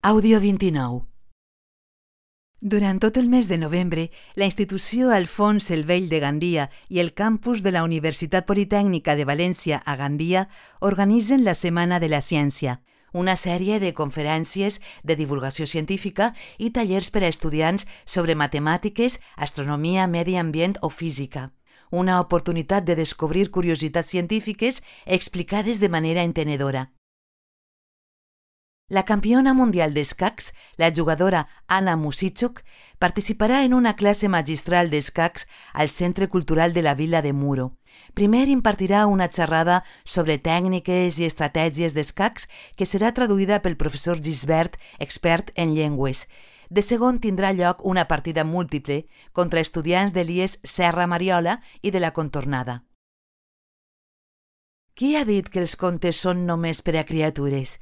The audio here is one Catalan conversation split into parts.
Àudio 29. Durant tot el mes de novembre, la institució Alfons el Vell de Gandia i el campus de la Universitat Politècnica de València a Gandia organitzen la Setmana de la Ciència, una sèrie de conferències de divulgació científica i tallers per a estudiants sobre matemàtiques, astronomia, medi ambient o física. Una oportunitat de descobrir curiositats científiques explicades de manera entenedora. La campiona mundial d'escacs, la jugadora Anna Muzychuk, participarà en una classe magistral d'escacs al Centre Cultural de la Vila de Muro. Primer impartirà una xerrada sobre tècniques i estratègies d'escacs que serà traduïda pel professor Gisbert, expert en llengües. De segon tindrà lloc una partida múltiple contra estudiants de l'IES Serra Mariola i de la Contornada. Qui ha dit que els contes són només per a criatures?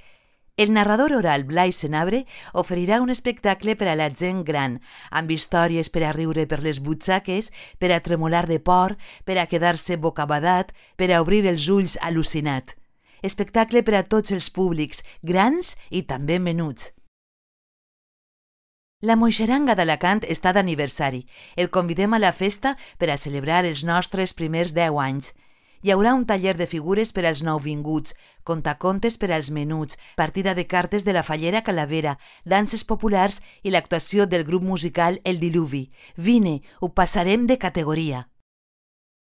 El narrador oral Blai Senabre oferirà un espectacle per a la gent gran, amb històries per a riure per les butxaques, per a tremolar de por, per a quedar-se bocabadat, per a obrir els ulls al·lucinat. Espectacle per a tots els públics, grans i també menuts. La Moixeranga d'Alacant està d'aniversari. El convidem a la festa per a celebrar els nostres primers 10 anys. Hi haurà un taller de figures per als nouvinguts, contacontes per als menuts, partida de cartes de la Fallera Calavera, danses populars i l'actuació del grup musical El Diluvi. Vine, ho passarem de categoria.